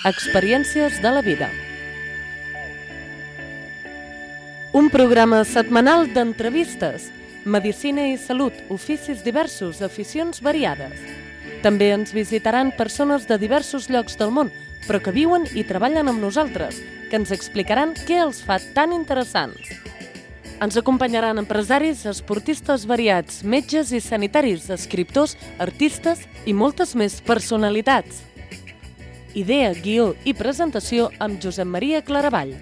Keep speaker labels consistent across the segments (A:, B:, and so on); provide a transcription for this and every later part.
A: Experiències de la vida. Un programa setmanal d'entrevistes, medicina i salut, oficis diversos, aficions variades. També ens visitaran persones de diversos llocs del món, però que viuen i treballen amb nosaltres, que ens explicaran què els fa tan interessants. Ens acompanyaran empresaris, esportistes variats, metges i sanitaris, escriptors, artistes i moltes més personalitats. Idea, guió i presentació amb Josep Maria Claravall.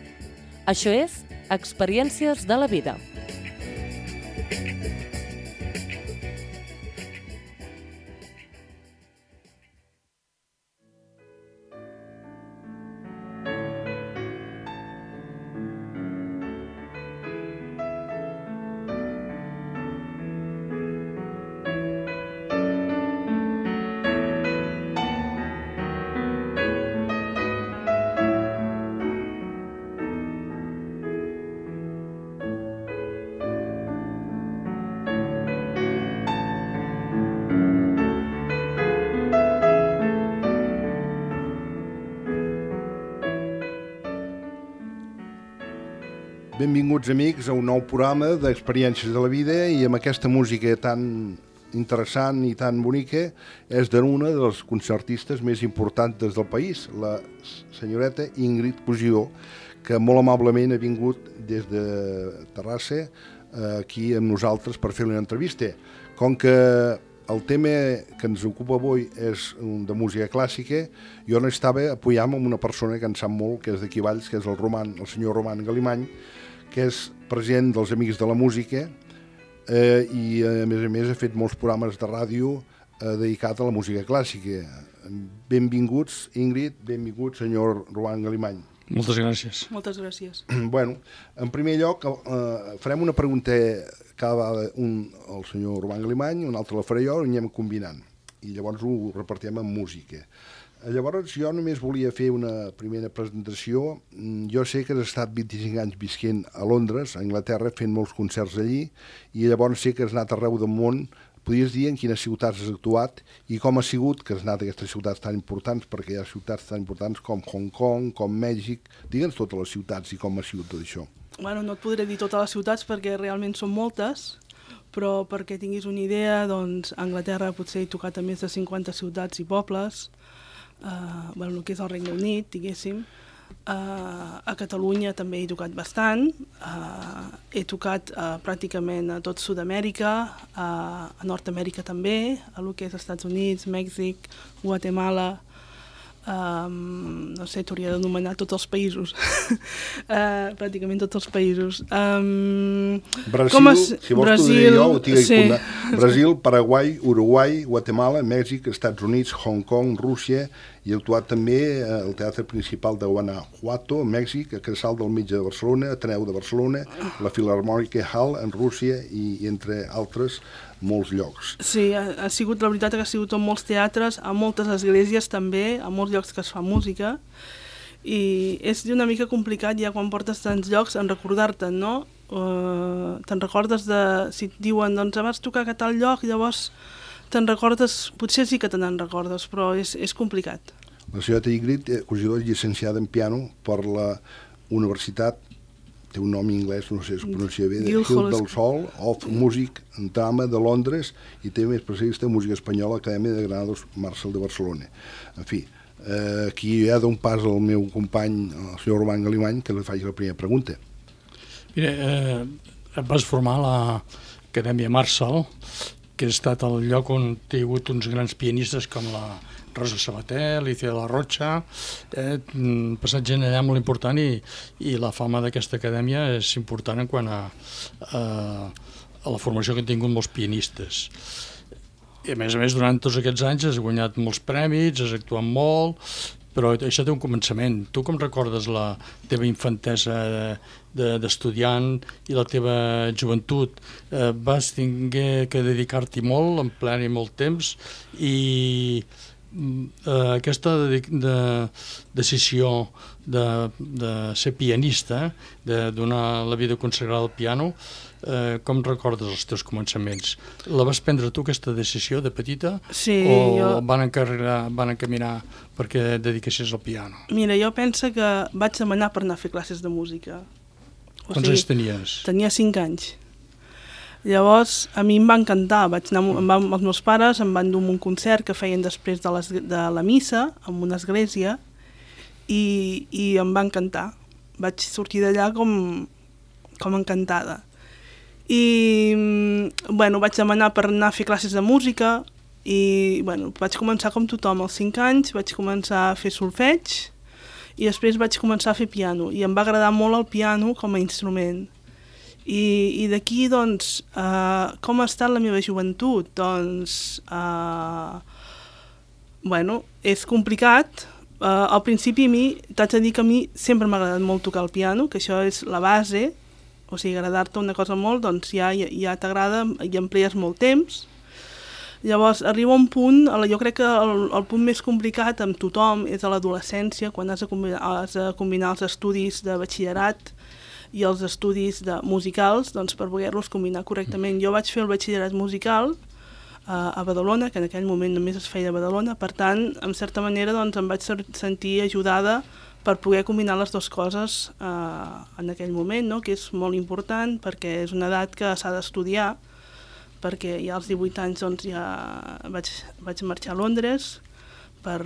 A: Això és Experiències de la vida.
B: Benvinguts, amics, a un nou programa d'Experiències de la vida i amb aquesta música tan interessant i tan bonica és d'una de les concertistes més importants del país, la senyoreta Ingrid Cosidó, que molt amablement ha vingut des de Terrassa aquí amb nosaltres per fer una entrevista. Com que el tema que ens ocupa avui és de música clàssica, jo n'estava apoyant amb una persona que en sap molt, que és d'aquí Valls, que és el senyor Roman Galimany, que és president dels Amics de la Música i a més ha fet molts programes de ràdio dedicats a la música clàssica. Benvinguts, Ingrid, benvingut, senyor Roman Galimany.
C: Moltes gràcies.
D: Moltes gràcies.
B: Bueno, en primer lloc, farem una pregunta cada vegada al senyor Roman Galimany, una altra la faré jo, i anem combinant. I llavors ho repartim amb música. Llavors jo només volia fer una primera presentació. Jo sé que has estat 25 anys visquent a Londres, a Anglaterra, fent molts concerts allí, i llavors sé que has anat arreu del món. Podries dir en quines ciutats has actuat i com ha sigut que has anat a aquestes ciutats tan importants, perquè hi ha ciutats tan importants com Hong Kong, com Mèxic. Digue'ns totes les ciutats i com ha sigut tot això.
D: Bueno, no et podré dir totes les ciutats perquè realment són moltes, però perquè tinguis una idea, doncs a Anglaterra potser he tocat a més de 50 ciutats i pobles, el que és el Regne Unit, diguéssim. A Catalunya també he tocat bastant, he tocat pràcticament a tot Sud-amèrica, a Nord-amèrica també, a lo que és Estats Units, Mèxic, Guatemala, no sé, t'hauria d'anomenar tots els països, pràcticament tots els països.
B: Brasil, si vols t'ho diré jo, ho tinc apuntat. Brasil, Paraguai, Uruguai, Guatemala, Mèxic, Estats Units, Hong Kong, Rússia, i he actuat també al Teatre Principal de Guanajuato, a Mèxic, a Casal del Metge de Barcelona, Ateneu de Barcelona, la Filharmònica Hall en Rússia i entre altres molts llocs.
D: Sí, ha sigut, la veritat que ha sigut en molts teatres, a moltes esglésies també, a molts llocs que es fa música, i és una mica complicat ja quan portes tants llocs en recordar-te'n, no? Te'n recordes de, si et diuen, doncs vas tocar a tal lloc, llavors te'n recordes, potser sí que te n'en recordes, però és complicat.
B: La senyora Ingrid Cosidó és llicenciada en piano per la universitat, té un nom anglès, no sé si es pronuncia bé, de Guildhall of Music and Drama de Londres, i també és especialista en música espanyola a l'Acadèmia de Granados Marcel de Barcelona. En fi, aquí ja dono un pas al meu company, el senyor Roman Galimany, que li faci la primera pregunta.
C: Mira, et vas formar a l'Acadèmia Marcel, que ha estat el lloc on hi ha hagut uns grans pianistes com la Rosa Sabater, Alicia de la Rocha, passat gent allà molt important i la fama d'aquesta acadèmia és important en quant a la formació que han tingut molts pianistes. I a més, durant tots aquests anys has guanyat molts prèmits, has actuat molt, però això té un començament. Tu com recordes la teva infantesa d'estudiant i la teva joventut? Vas tenir que dedicar-t'hi molt, emplear-hi molt temps i aquesta decisió de ser pianista, de donar la vida consagrada al piano, com recordes els teus començaments? La vas prendre tu, aquesta decisió, de petita?
D: Sí,
C: o van encaminar perquè et dediquessis al piano?
D: Mira, jo penso que vaig demanar per anar a fer classes de música.
C: Quants anys tenies?
D: Tenia 5 anys. Llavors, a mi em va encantar. Vaig anar amb els meus pares, em van dur un concert que feien després de la missa, en una església, i em va encantar. Vaig sortir d'allà com encantada. I, bueno, vaig demanar per anar a fer classes de música i, bueno, vaig començar com tothom. Als 5 anys vaig començar a fer solfeig i després vaig començar a fer piano. I em va agradar molt el piano com a instrument. I d'aquí, doncs, com ha estat la meva joventut? Doncs, bueno, és complicat. Al principi a mi, t'haig de dir que a mi sempre m'ha agradat molt tocar el piano, que això és la base. O sigui, agradar-te una cosa molt, doncs ja t'agrada i emplees molt temps. Llavors, arriba un punt, jo crec que el punt més complicat amb tothom és a l'adolescència, quan has de combinar els estudis de batxillerat i els estudis musicals, doncs per poder-los combinar correctament. Jo vaig fer el batxillerat musical a Badalona, que en aquell moment només es feia a Badalona, per tant, en certa manera, doncs, em vaig sentir ajudada per poder combinar les dues coses en aquell moment, no? Que és molt important perquè és una edat que s'ha d'estudiar, perquè ja als 18 anys doncs, ja vaig marxar a Londres per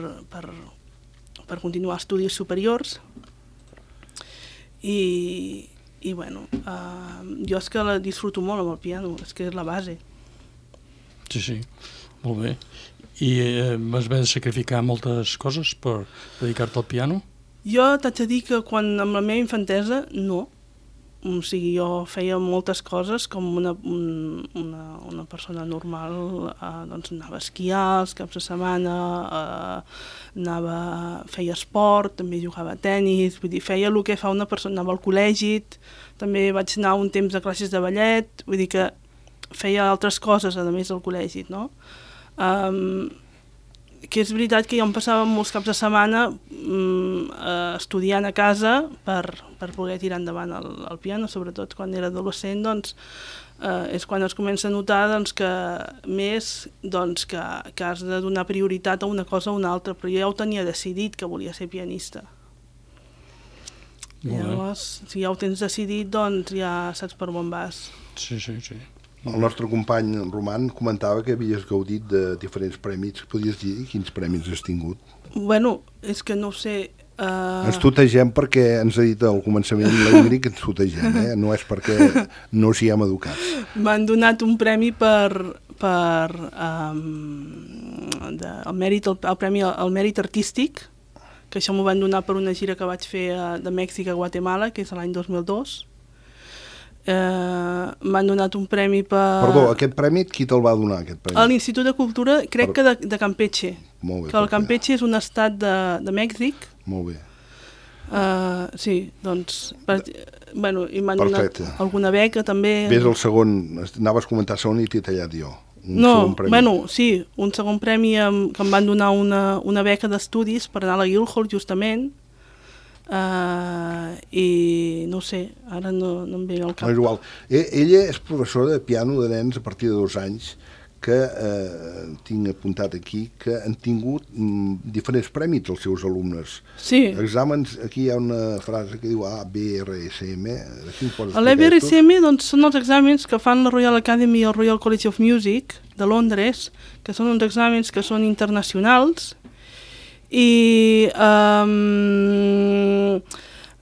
D: continuar estudis superiors i bueno, jo és que la disfruto molt amb el piano, és que és la base.
C: Sí, molt bé. I vas haver de sacrificar moltes coses per dedicar-te al piano?
D: Jo t'haig de dir que amb la meva infantesa, no. O sigui, jo feia moltes coses com una persona normal, doncs anava a esquiar els caps de setmana, feia esport, també jugava a tenis, vull dir, feia el que fa una persona, anava al col·legi, també vaig anar un temps a classes de ballet, vull dir que feia altres coses, a més del col·legi, no? Que és veritat que jo em passava molts caps de setmana estudiant a casa per poder tirar endavant el piano, sobretot quan era adolescent, doncs, és quan es comença a notar doncs, que has de donar prioritat a una cosa o una altra, però jo ja ho tenia decidit que volia ser pianista. Llavors, si ja ho tens decidit, doncs ja saps per on vas.
C: Sí.
B: El nostre company Roman comentava que havies gaudit de diferents premis. Podies dir quins premis has tingut?
D: Bueno, és que no ho sé.
B: Ens tutegem perquè ens ha dit al començament l'Ingrid que ens tutegem, no és perquè no s'hi hem educat.
D: M'han donat un premi per el premi al mèrit artístic, que això m'ho van donar per una gira que vaig fer de Mèxic a Guatemala, que és l'any 2002. M'han donat un premi per...
B: Perdó, aquest premi, qui te'l va donar, aquest premi?
D: A l'Institut de Cultura, crec que de Campeche.
B: Molt bé.
D: Que el Campeche és un estat de Mèxic.
B: Molt bé.
D: Sí, doncs... Bueno, i m'han donat alguna beca, també.
B: Ves el segon, anaves a comentar segon i t'he tallat jo.
D: No, bueno, sí, un segon premi que em van donar una beca d'estudis per anar a la Guildhall, justament. I no sé, ara no em ve al cap.
B: No és igual. Ella és professora de piano de nens a partir de 2 anys, que tinc apuntat aquí, que han tingut diferents premis els seus alumnes.
D: Sí.
B: Exàmens, aquí hi ha una frase que diu ABRSM.
D: L'ABRSM doncs, són els exàmens que fan la Royal Academy i el Royal College of Music de Londres, que són uns exàmens que són internacionals, i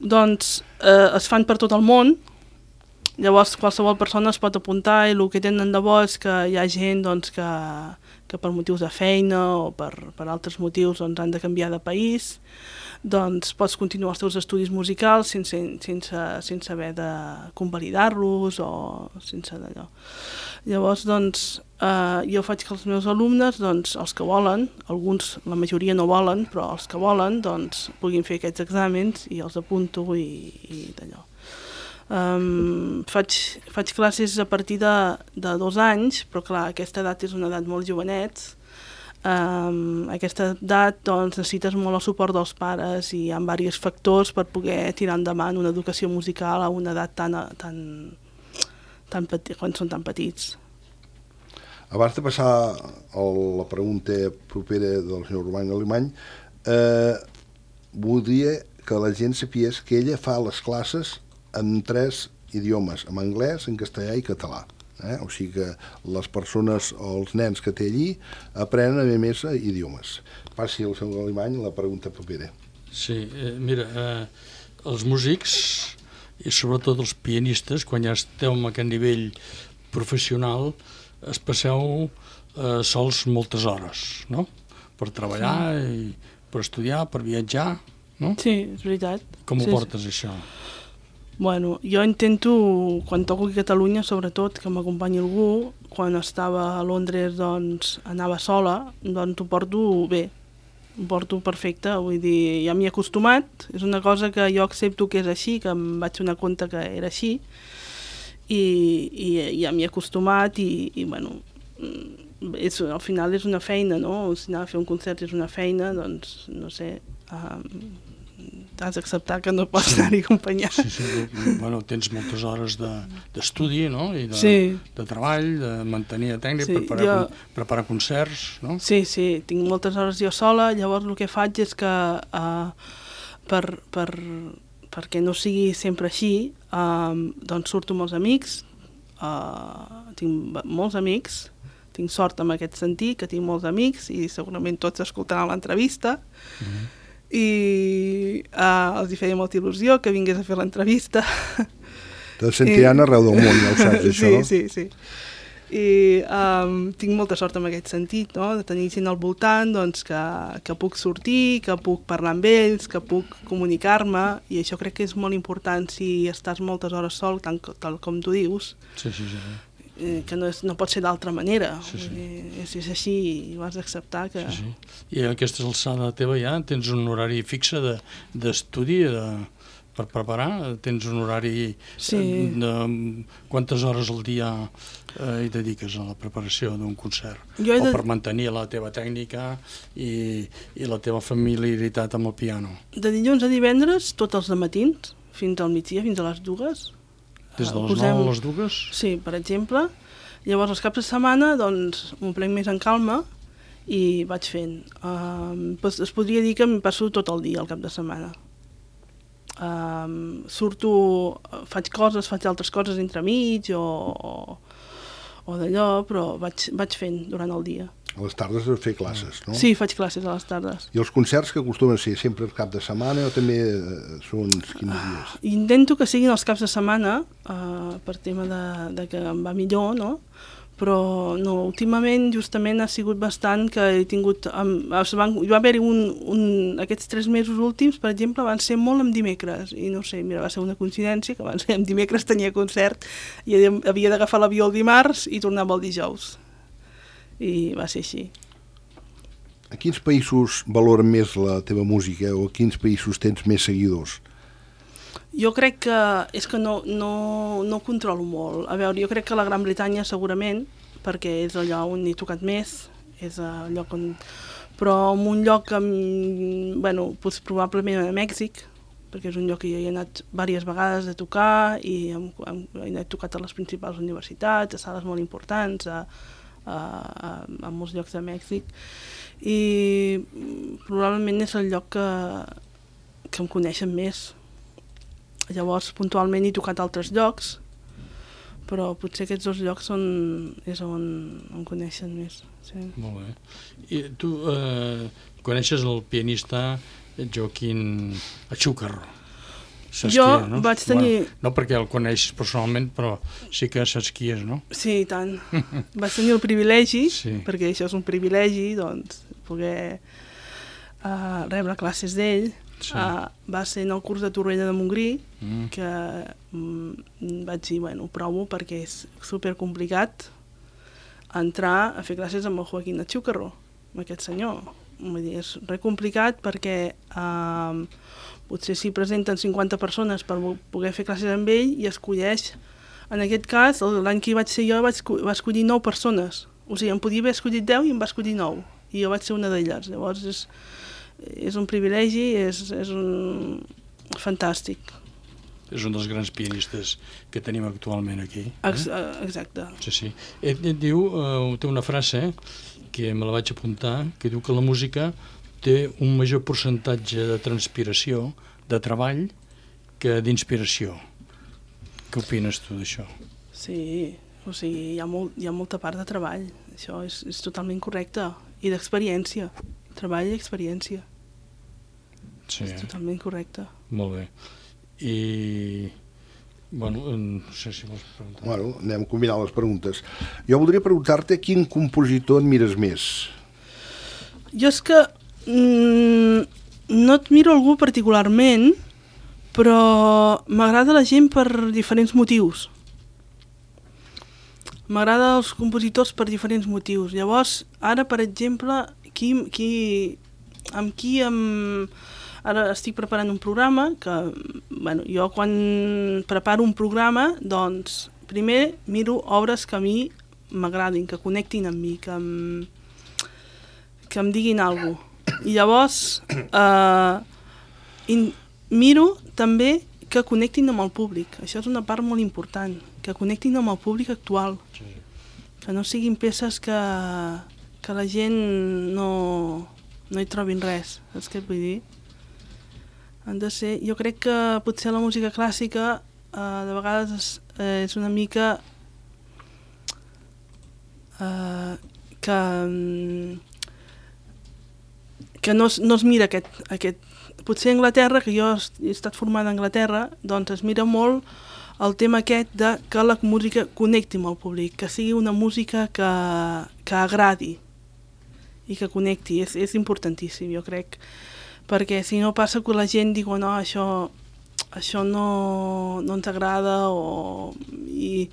D: doncs es fan per tot el món. Llavors qualsevol persona es pot apuntar i el que tenen de bo és que hi ha gent doncs, que per motius de feina o per altres motius doncs, han de canviar de país, doncs pots continuar els teus estudis musicals sense haver de convalidar-los o sense d'allò. Llavors, doncs, jo faig que els meus alumnes, doncs, els que volen, alguns, la majoria no volen, però els que volen, doncs, puguin fer aquests exàmens i els apunto i d'allò. Faig classes a partir de 2 anys, però clar, aquesta edat és una edat molt jovenet, aquesta edat doncs, necessites molt el suport dels pares i hi ha diversos factors per poder tirar endavant una educació musical a una edat quan són tan petits.
B: Abans de passar a la pregunta propera del senyor Roman Alemany, voldria que la gent sapies que ella fa les classes en 3 idiomes, en anglès, en castellà i català. O sigui que les persones o els nens que té allí aprenen a més idiomes. Passi al senyor Alemany la pregunta propera.
C: Sí, mira, els músics i sobretot els pianistes, quan ja esteu en aquest nivell professional, es passeu sols moltes hores, no? Per treballar, i per estudiar, per viatjar, no?
D: Sí, és veritat.
C: Com ho portes, això?
D: Bueno, jo intento, quan toco aquí a Catalunya, sobretot, que m'acompanyi algú. Quan estava a Londres, doncs, anava sola, doncs ho porto bé. Ho porto perfecte, vull dir, ja m'hi he acostumat. És una cosa que jo accepto que és així, que em vaig donar compte que era així. I ja m'hi he acostumat i bueno, al final és una feina, no? Si anar a fer un concert és una feina, doncs, no sé, has d'acceptar que no pots anar-hi acompanyat.
C: Sí. Bueno, tens moltes hores d'estudi, no? I de treball, de mantenir tècnica, preparar concerts, no?
D: Sí, tinc moltes hores jo sola, llavors el que faig és que perquè no sigui sempre així, doncs surto amb els amics, tinc molts amics, tinc sort en aquest sentit, que tinc molts amics i segurament tots escoltaran l'entrevista, i els hi feia molta il·lusió que vingués a fer l'entrevista.
B: Te sentiran arreu del món, ja ho saps, això, no?
D: Sí. I tinc molta sort en aquest sentit, no? De tenir gent al voltant, doncs, que puc sortir, que puc parlar amb ells, que puc comunicar-me, i això crec que és molt important si estàs moltes hores sol, tal com tu dius.
C: Sí.
D: Que no pot ser d'altra manera. És així i ho has d'acceptar.
C: Sí. I a aquesta alçada teva ja tens un horari fixe d'estudi per preparar? Tens un horari de quantes hores al dia hi dediques a la preparació d'un concert? O per mantenir la teva tècnica i la teva familiaritat amb el piano?
D: De dilluns a divendres, tots els matins, fins al migdia, fins a les 2.
C: Des de les 9 a les 2?
D: Sí, per exemple. Llavors, els caps de setmana, doncs, m'ho prenc més en calma i vaig fent. Es podria dir que em passo tot el dia al cap de setmana. Surto, faig altres coses entremig o d'allò, però vaig fent durant el dia.
B: A les tardes has de fer classes, no?
D: Sí, faig classes a les tardes.
B: I els concerts que acostumen a ser sempre el cap de setmana o també són quins dies?
D: Intento que siguin els caps de setmana, per tema de que em va millor, no? Però no, últimament justament ha sigut bastant que he tingut... Hi va haver-hi aquests 3 mesos últims, per exemple, van ser molt en dimecres, i no sé, mira, va ser una coincidència que van ser en dimecres tenia concert i havia d'agafar l'avió el dimarts i tornava el dijous. I va ser així.
B: A quins països valoren més la teva música o a quins països tens més seguidors?
D: Jo crec que és que no controlo molt. A veure, jo crec que la Gran Bretanya segurament, perquè és allò on he tocat més, és el lloc on... Però en un lloc, bueno, probablement a Mèxic, perquè és un lloc que jo hi he anat diverses vegades a tocar i he tocat a les principals universitats, a sales molt importants, a molts llocs de Mèxic, i probablement és el lloc que em coneixen més. Llavors, puntualment he tocat a altres llocs, però potser aquests 2 llocs és on em coneixen més. Sí.
C: Molt bé. I tu coneixes el pianista Joaquín Achúcarro?
D: Jo vaig tenir...
C: No perquè el coneixes personalment, però sí que saps qui és, no?
D: Sí, i tant. Vaig tenir el privilegi, perquè això és un privilegi, doncs, poder rebre classes d'ell. Va ser en el curs de Torroella de Montgrí, que vaig dir, bueno, provo perquè és supercomplicat entrar a fer classes amb el Joaquín Achúcarro, amb aquest senyor. Vull dir, és re complicat perquè potser s'hi presenten 50 persones per poder fer classes amb ell i escolleix, en aquest cas, l'any que hi vaig ser jo va escollir 9 persones. O sigui, em podia haver escollit 10 i em va escollir 9. i jo vaig ser una d'elles. Llavors és un privilegi, és un fantàstic.
C: És un dels grans pianistes que tenim actualment aquí.
D: Exacte.
C: Sí. Diu, té una frase que me la vaig apuntar, que diu que la música té un major percentatge de transpiració, de treball, que d'inspiració. Què opines tu d'això?
D: Sí, o sigui, hi ha molta part de treball. Això és totalment correcte. I d'experiència. Treball i experiència.
C: Sí.
D: És totalment correcte.
C: Molt bé. I... Bueno, no sé si vols preguntar.
B: Bueno, anem combinant les preguntes. Jo voldria preguntar-te quin compositor admires més.
D: Jo és que no admiro algú particularment, però m'agrada la gent per diferents motius. M'agrada els compositors per diferents motius. Llavors, ara, per exemple, ara estic preparant un programa que, bueno, jo quan preparo un programa, doncs, primer miro obres que a mi m'agradin, que connectin amb mi, que em diguin alguna cosa. I llavors miro també que connectin amb el públic. Això és una part molt important, que connectin amb el públic actual. Sí. Que no siguin peces que la gent no hi trobin res, saps què et vull dir? Han de ser... Jo crec que potser la música clàssica de vegades és una mica que no es mira aquest... Potser a Anglaterra, que jo he estat formada a Anglaterra, doncs es mira molt el tema aquest de que la música connecti amb el públic, que sigui una música que agradi i que connecti. És importantíssim, jo crec, perquè si no passa que la gent diu no, això no ens agrada, i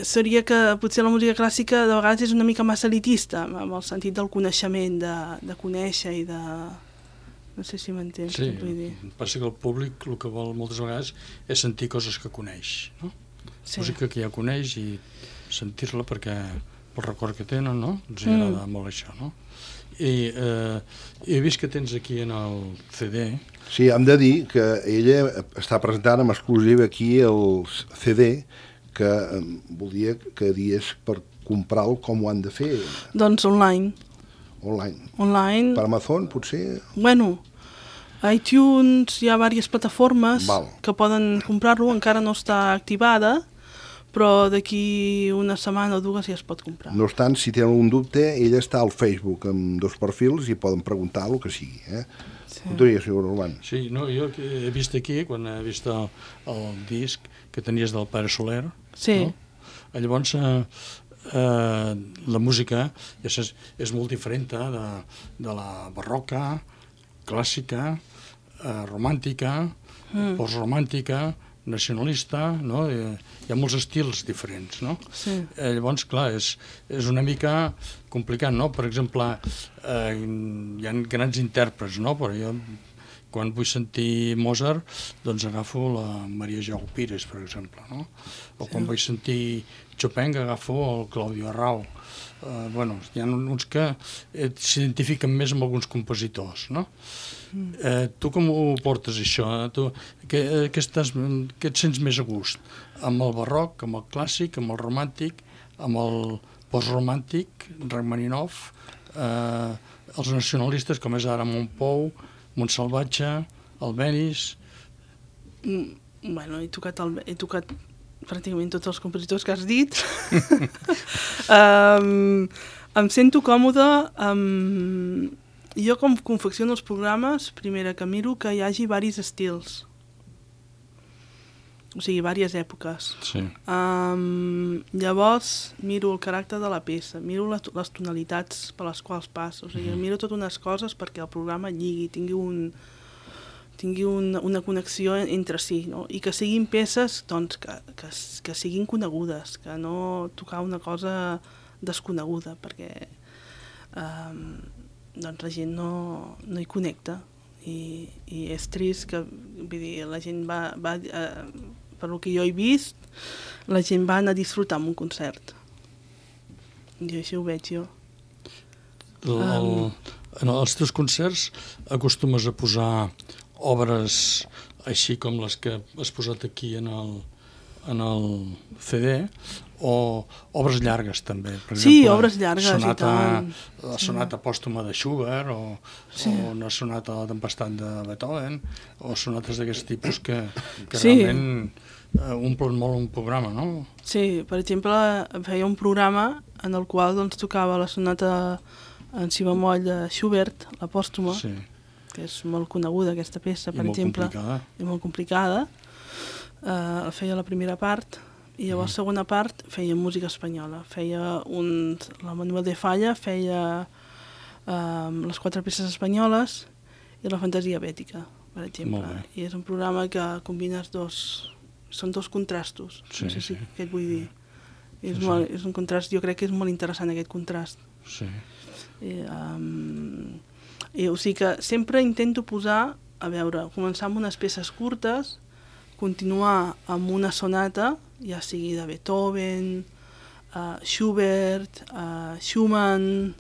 D: seria que potser la música clàssica de vegades és una mica massa elitista, amb el sentit del coneixement, de conèixer i de... No sé si m'entens,
C: sí,
D: què vull dir.
C: Passa que el públic el que vol moltes vegades és sentir coses que coneix, no? Sí. Música que ja coneix i sentir-la perquè el record que tenen, no? Ens agrada molt això, no? I he vist que tens aquí en el CD...
B: Sí, hem de dir que ella està presentant en exclusiva aquí el CD, que volia que dies per comprar-lo com ho han de fer.
D: Doncs online.
B: Online. Per Amazon, potser?
D: Bueno, a iTunes hi ha diverses plataformes que poden comprar-lo, encara no està activada, però d'aquí una setmana o dues ja es pot comprar.
B: No obstant, si tenen un dubte, ella està al Facebook amb 2 perfils i poden preguntar el que sigui. Sí. Continua, senyor Norman.
C: Sí, no, jo he vist aquí, quan he vist el disc que tenies del Pare Soler,
D: sí.
C: No? Llavors... la música és molt diferent de la barroca, clàssica, romàntica, postromàntica, nacionalista, no? Hi ha molts estils diferents, no? Sí. Llavors, clar, és una mica complicat, no? Per exemple, hi ha grans intèrprets, no? Però jo, quan vull sentir Mozart, doncs agafo la Maria Jau Pires, per exemple, no? O quan vull sentir Chopin, agafo el Claudio Arrau. Bueno, hi ha uns que s'identifiquen més amb alguns compositors, no? Tu com ho portes, això? Què et sents més a gust? Amb el barroc, amb el clàssic, amb el romàntic, amb el postromàntic, Rachmaninoff, els nacionalistes, com és ara Montpou, Montsalvatge, Albéniz...
D: Bueno, he tocat pràcticament tots els compositors que has dit. Em sento còmode. Jo, com confecciono els programes, primera que miro que hi hagi diversos estils. O sigui, diverses èpoques.
C: Sí.
D: Llavors, miro el caràcter de la peça, miro les tonalitats per les quals passo. O sigui, miro totes unes coses perquè el programa lligui, tingui una connexió entre si, no? I que siguin peces doncs, que siguin conegudes, que no tocar una cosa desconeguda, perquè doncs la gent no hi connecta. I és trist que, vull dir, la gent va per el que jo he vist, la gent va anar a disfrutar en un concert. I així ho veig jo.
C: En els teus concerts acostumes a posar obres així com les que has posat aquí en el CD, o obres llargues també? Per exemple,
D: obres llargues i tant.
C: La sonata pòstuma de Schubert, o una sonata a la tempestat de Beethoven, o sonates d'aquest tipus que realment omplen molt un programa, no?
D: Sí, per exemple, feia un programa en el qual doncs, tocava la sonata en si bemoll de Schubert, la pòstuma, que és molt coneguda aquesta peça, per exemple. I molt complicada. Feia la primera part, i llavors segona part feia música espanyola. Feia la Manuel de Falla feia les 4 peces espanyoles i la fantasia bètica, per exemple. I és un programa que combines són 2 contrastos, no sé si què et vull dir. És un contrast, jo crec que és molt interessant aquest contrast. O sigui que sempre intento posar, començar amb unes peces curtes, continuar amb una sonata, ja sigui de Beethoven, Schubert, Schumann,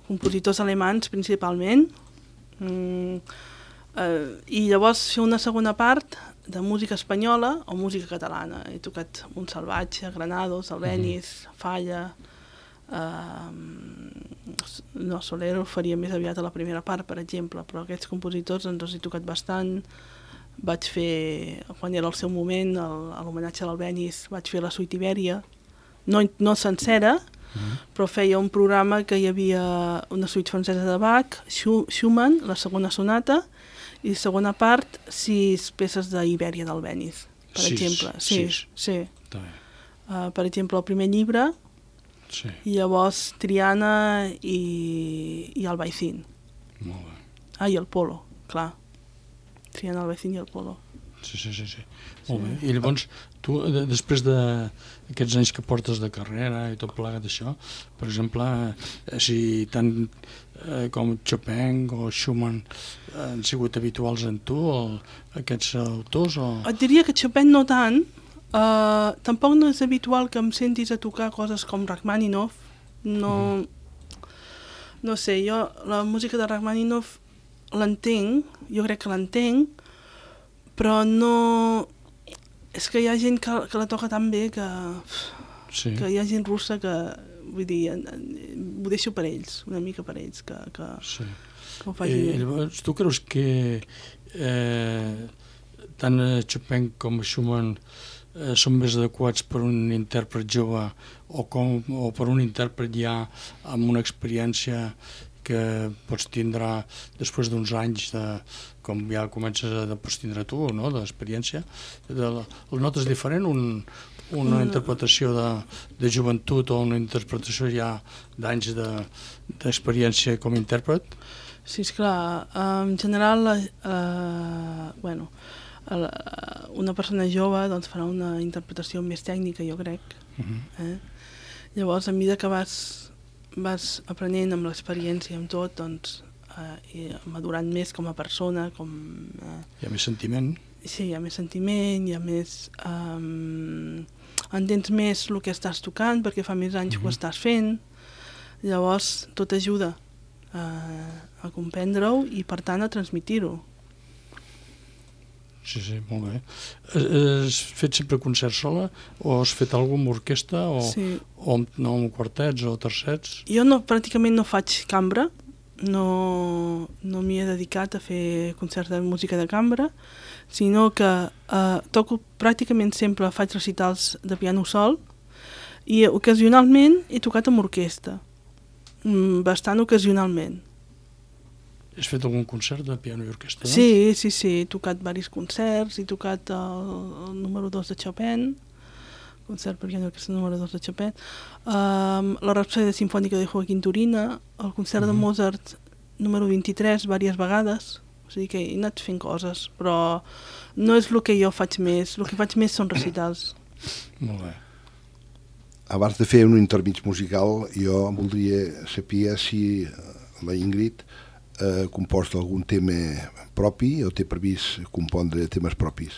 D: compositors alemanys principalment, i llavors fer una segona part de música espanyola o música catalana. He tocat Montsalvatge, Granados, Albéniz, Falla, Soler ho faria més aviat a la primera part, per exemple, però aquests compositors ens els he tocat bastant. Vaig fer, quan era el seu moment, a l'homenatge a l'Albéniz, vaig fer la suite Ibèria, no sencera, però feia un programa que hi havia una suite francesa de Bach, Schumann, la segona sonata, i segona part, 6 peces d'Ibèria d'Albéniz, per exemple. Sí. Per exemple, el primer llibre, i llavors Triana i Albaicín.
C: Molt bé.
D: I el Polo, clar. Triana, Albaicín i el Polo.
C: Sí. Molt bé. I llavors, tu, després d'aquests anys que portes de carrera i tot plegat d'això, per exemple, si tant com Chopin o Schumann han sigut habituals en tu, aquests autors?
D: Et diria que Chopin no tant. Tampoc no és habitual que em sentis a tocar coses com Rachmaninoff. No sé, jo la música de Rachmaninoff l'entenc, jo crec que l'entenc, però no... És que hi ha gent que la toca tan bé que hi ha gent russa que, vull dir, ho deixo per ells, una mica per ells, que ho facin bé.
C: Llavors, tu creus que tant Chopin com Schumann són més adequats per un intèrpret jove o per un intèrpret ja amb una experiència que pots tindre després d'uns anys, com ja comences a tindre tu, no?, d'experiència? El notes diferent, una interpretació de joventut o una interpretació ja d'anys d'experiència com a intèrpret?
D: Sí, esclar. En general, una persona jove doncs, farà una interpretació més tècnica, jo crec. Llavors, a mesura que vas aprenent amb l'experiència, amb tot, doncs, i madurant més com a persona,
C: hi ha més sentiment.
D: Sí, hi ha més sentiment, hi ha més... entens més el que estàs tocant, perquè fa més anys que ho estàs fent. Llavors, tot ajuda a comprendre-ho i, per tant, a transmitir-ho.
C: Sí, molt bé. Has fet sempre concert sola o has fet alguna cosa amb orquestra o amb quartets o tercets?
D: Jo pràcticament no faig cambra, no m'hi he dedicat a fer concerts de música de cambra, sinó que toco pràcticament sempre, faig recitals de piano sol i ocasionalment he tocat amb orquestra, bastant ocasionalment.
C: Has fet algun concert de piano i orquestra?
D: Sí, he tocat diversos concerts, he tocat el número 2 de Chopin, concert per piano i orquestra número 2 de Chopin, la Rapsòdia Simfònica de Joaquín Turina, el concert de Mozart número 23 diverses vegades, o sigui que he anat fent coses, però no és el que jo faig més, el que faig més són recitals.
C: Molt bé.
B: Abans de fer un intermig musical, jo voldria saber si la Ingrid composta algun tema propi o té previst compondre temes propis?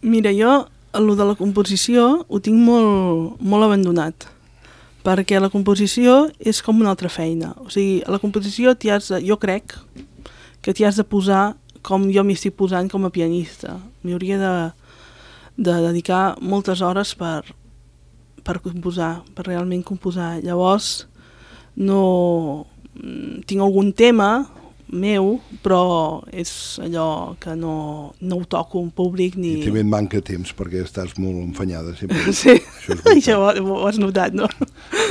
D: Mira, jo el de la composició ho tinc molt abandonat, perquè la composició és com una altra feina. O sigui, a la composició jo crec que t'hi has de posar com jo m'hi estic posant com a pianista. M'hi hauria de dedicar moltes hores per composar, per realment composar. Llavors, no tinc algun tema meu, però és allò que no ho toco en públic ni...
B: I també et manca temps, perquè estàs molt enfanyada sempre.
D: Sí, això ho has notat, no?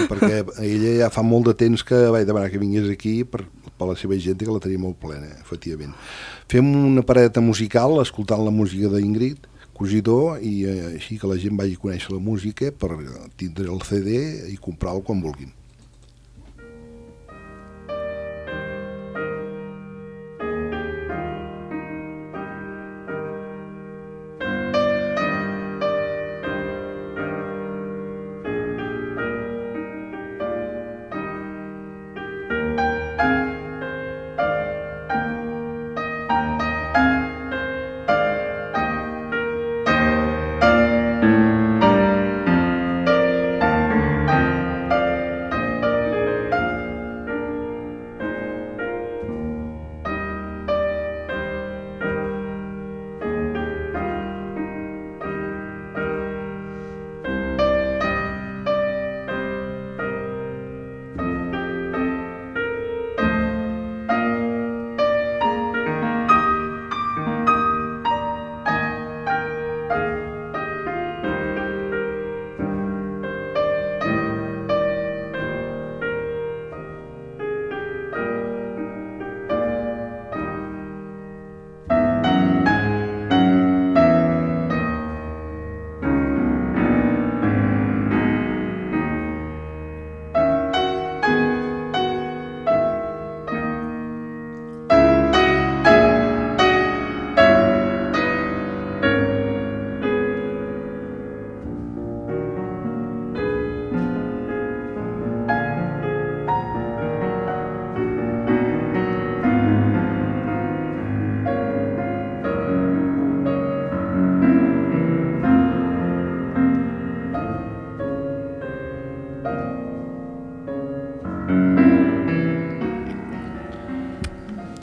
B: Perquè ella ja fa molt de temps que vaig demanar que vingués aquí per la seva gent, que la tenia molt plena, efectivament. Fem una paradeta musical, escoltant la música d'Ingrid Cosidó, i així que la gent vagi a conèixer la música per tindre el CD i comprar-lo quan vulguin.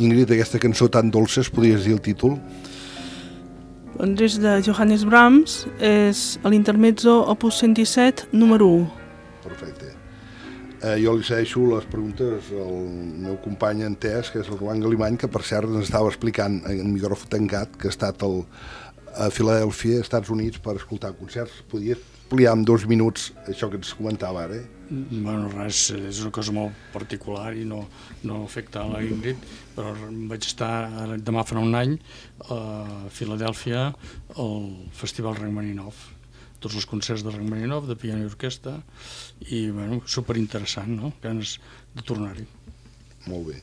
B: Ingrid, aquesta cançó tan dolça, es podries dir el títol?
D: Doncs és de Johannes Brahms, és l'intermezzo opus 117, número 1.
B: Perfecte. Jo li segueixo les preguntes al meu company entès, que és el Joan Galimany, que per cert ens estava explicant en micròfon tancat que ha estat a Filadèlfia, Estats Units, per escoltar concerts. Podries ampliar en 2 minuts això que ens comentava ara?
C: Bueno, res, és una cosa molt particular i no afecta a la Ingrid, però vaig estar demà fa un any a Filadèlfia al Festival Rachmaninoff, tots els concerts de Rachmaninoff, de piano i orquestra, i bueno, superinteressant, no? Ganes de tornar-hi.
B: Molt bé.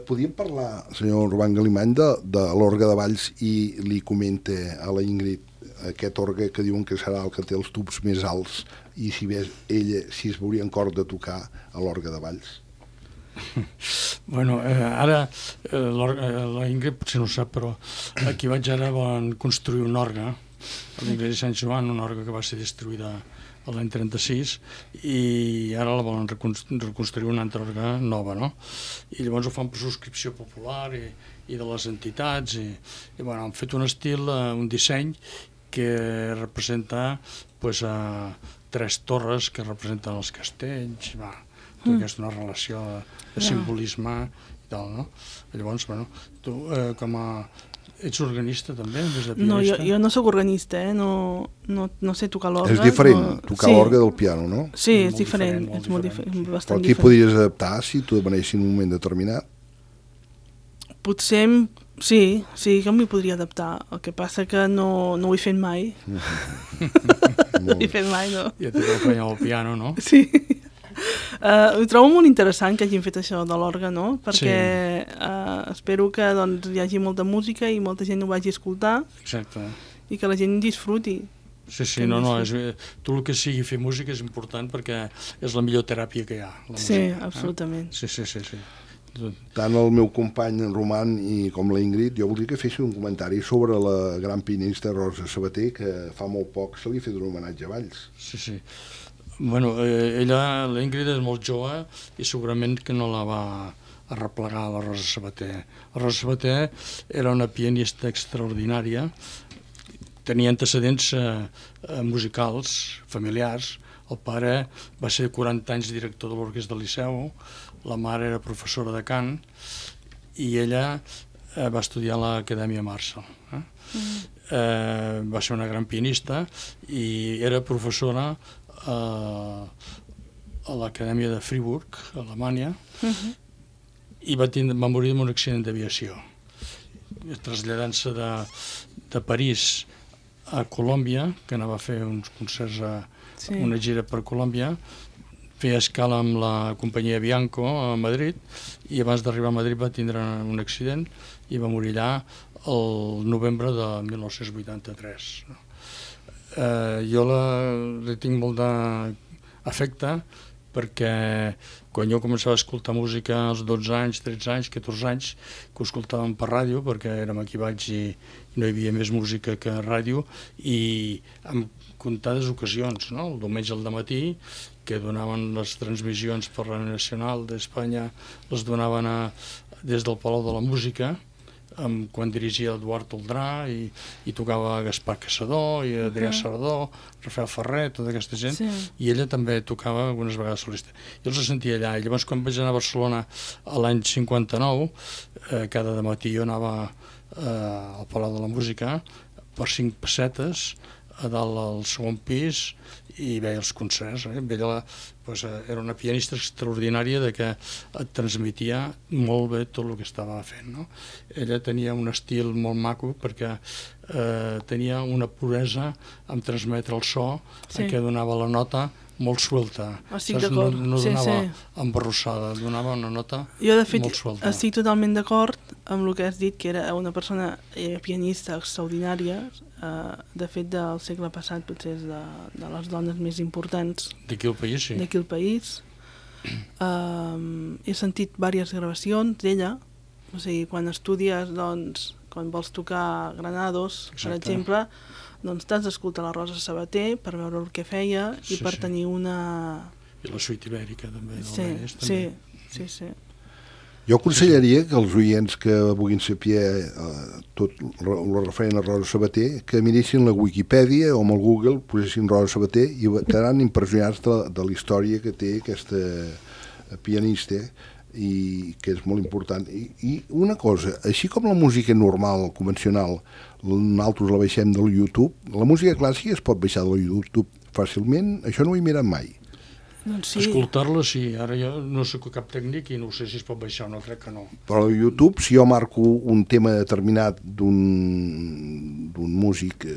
B: Podríem parlar, senyor Joan Galimany, de l'orgue de Valls, i li comenta a la Ingrid aquest orgue que diuen que serà el que té els tubs més alts, i si ves ella, si es veuria en cor de tocar a l'orgue de Valls.
C: Bueno, ara la Ingrid potser no ho sap, però aquí vaig ara van construir un orgue a l'Església de Sant Joan, una orgue que va ser destruïda l'any 36, i ara la volen reconstruir una altra orgue nova, no? I llavors ho fan per subscripció popular i de les entitats, i bueno, han fet un estil, un disseny que representa pues, 3 torres que representen els castells, tota aquesta una relació de simbolisme i tal, no? Llavors, bueno, tu com a... Ets organista també, des de pianista?
D: No, jo no soc organista, no sé tocar l'orgue.
B: És diferent, tocar l'orgue del piano, no?
D: Sí, és diferent, és molt diferent, bastant diferent.
B: Però aquí podries adaptar si tu demanessis en un moment determinat?
D: Potser, sí que m'hi podria adaptar. El que passa que no ho he fet mai. No ho he fet mai, no.
C: Ja t'he d'acompanyar al piano, no?
D: Sí. Ho trobo molt interessant que hagin fet això de l'orgue, no? Perquè espero que doncs, hi hagi molta música i molta gent ho vagi a escoltar. Exacte. I que la gent disfruti.
C: Sí, no, tot el que sigui fer música és important perquè és la millor teràpia que hi ha.
D: Sí, absolutament.
C: Sí.
B: Tant el meu company en Roman com la Ingrid, jo voldria que fessin un comentari sobre la gran pianista Rosa Sabater, que fa molt poc se li ha fet un homenatge a Valls.
C: Sí. Bueno, ella, la Ingrid, és molt jove i segurament que no la va arreplegar la Rosa Sabater. La Rosa Sabater era una pianista extraordinària, tenia antecedents musicals, familiars. El pare va ser 40 anys director de l'Orquestra del Liceu, la mare era professora de cant i ella va estudiar a l'Acadèmia Marshall. Va ser una gran pianista i era professora a l'Acadèmia de Friburg, a Alemanya, i va morir en un accident d'aviació. Traslladant-se de París a Colòmbia, que anava a fer uns concerts una gira per Colòmbia, feia escala amb la companyia Bianco a Madrid i abans d'arribar a Madrid va tindre un accident i va morir allà el novembre de 1983. Jo li tinc molt d'afecte perquè quan jo començava a escoltar música als 12 anys, 13 anys, 14 anys, que ho escoltàvem per ràdio, perquè érem aquí baix i no hi havia més música que ràdio, i en comptades ocasions, no? El diumenge al dematí, que donaven les transmissions per la Nacional d'Espanya, les donaven des del Palau de la Música, quan dirigia Eduard Toldrà i tocava Gaspar Caçador i Adrià Sardó, Rafael Ferrer, tota aquesta gent, i ella també tocava algunes vegades solista. Jo els sentia allà, i llavors quan vaig anar a Barcelona l'any 59, cada dematí jo anava al Palau de la Música per 5 pessetes a dalt al segon pis i veia els concerts. Ella era una pianista extraordinària que et transmetia molt bé tot el que estava fent. Ella tenia un estil molt maco perquè tenia una puresa en transmetre el so que donava la nota molt suelta. No donava embarrossada, donava una nota molt suelta.
D: Jo, de fet, estic totalment d'acord amb el que has dit, que era una persona pianista extraordinària. De fet, del segle passat potser és de les dones més importants
C: d'aquí al país, sí.
D: D'aquí al país. He sentit diverses gravacions d'ella, o sigui, quan estudies, doncs, quan vols tocar Granados, per exemple, doncs t'has d'escoltar la Rosa Sabater per veure el que feia i per tenir una...
C: I la suite ibèrica també.
D: Sí.
B: Jo aconsellaria que els oients que vulguin saber tot el referent a Rosa Sabater que miressin la Wikipedia o amb el Google, posessin Rosa Sabater i quedaran impressionats de la història que té aquesta pianista i que és molt important. I una cosa, així com la música normal, convencional, nosaltres la baixem del YouTube, la música clàssica es pot baixar del YouTube fàcilment, això no ho he mirat mai.
D: Doncs sí.
C: Escoltar-la, sí. Ara jo no soc cap tècnic i no sé si es pot baixar o no, crec que no.
B: Però a YouTube, si jo marco un tema determinat d'un músic...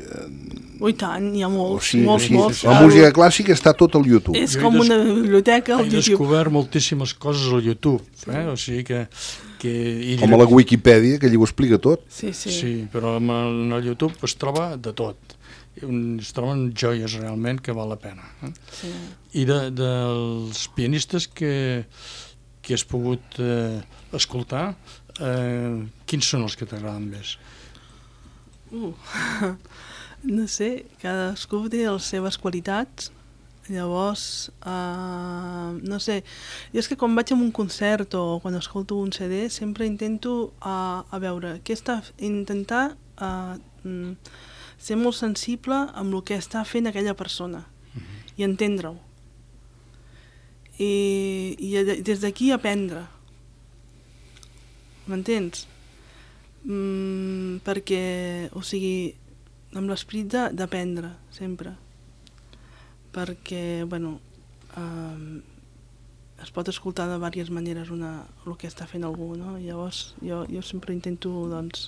D: Ui, tant, hi ha molts.
B: La música clàssica està tot al YouTube.
D: És com una biblioteca al YouTube.
C: He descobert moltíssimes coses al YouTube, o sigui que...
B: Com a la Wikipedia, que allà ho explica tot.
C: Sí, però en el YouTube es troba de tot. Es troben joies realment que val la pena. I dels pianistes que has pogut escoltar, quins són els que t'agraden més?
D: No sé, cadascú té les seves qualitats. Llavors, no sé, jo és que quan vaig a un concert o quan escolto un CD sempre intento a veure què intentar ser molt sensible amb el que està fent aquella persona i entendre-ho. I des d'aquí aprendre. M'entens? Perquè, o sigui, amb l'esperit d'aprendre, sempre. Perquè, bueno, es pot escoltar de diverses maneres el que està fent algú, no? Llavors, jo sempre intento, doncs,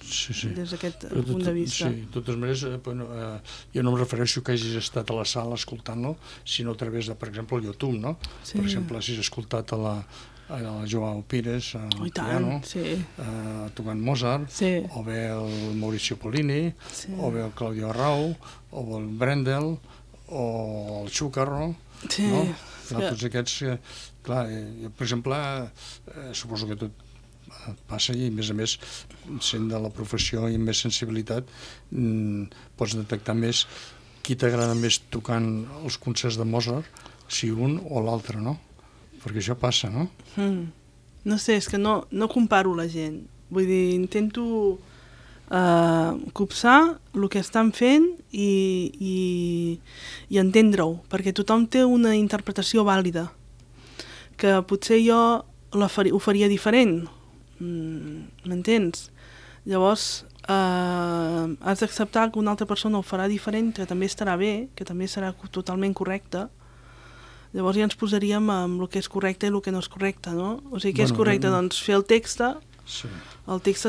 D: des d'aquest punt de vista.
C: Sí, de totes maneres, jo no em refereixo que hagis estat a la sala escoltant-lo, sinó a través de, per exemple, el YouTube, no? Per exemple, si has escoltat a la Joao Pires, al piano, tocant Mozart, o bé el Mauricio Pollini, o bé el Claudio Arrau, o el Brendel, o el Chúcarro, no? Tots aquests, clar, jo, per exemple, suposo que tot passa i, a més, sent de la professió i amb més sensibilitat, pots detectar més qui t'agrada més tocant els concerts de Mozart si un o l'altre, no? Perquè això passa, no?
D: No sé, és que no comparo la gent. Vull dir, intento copsar el que estan fent i entendre-ho, perquè tothom té una interpretació vàlida, que potser jo ho faria diferent, m'entens? Llavors, has d'acceptar que una altra persona ho farà diferent, que també estarà bé, que també serà totalment correcte. Llavors ja ens posaríem amb el que és correcte i el que no és correcte, no? O sigui, què és correcte? Doncs fer el text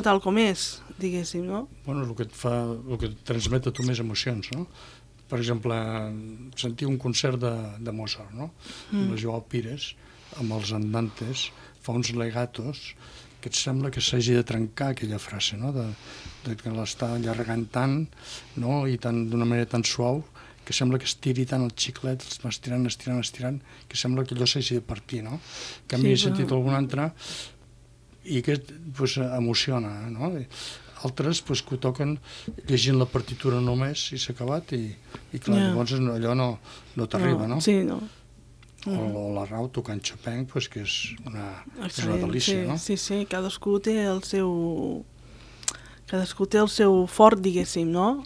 D: tal com és, diguéssim, no?
C: Bueno, el que et transmet a tu més emocions, no? Per exemple, sentir un concert de Mozart, no? La Joao Pires, amb els andantes, fa uns legatos que et sembla que s'hagi de trencar aquella frase, no? De que l'està allargant tant, no? I d'una manera tan suau, que sembla que estiri tant el xiclet, els va estirant, que sembla que allò s'hagi de partir, no? Que a mi he sentit algun altre i aquest emociona, no? Altres que ho toquen llegint la partitura només i s'ha acabat i clar, llavors allò no t'arriba, no?
D: Sí, no.
C: O la Rau tocant Chopin, que és una delícia, no?
D: Sí, cadascú té el seu fort, diguéssim, no?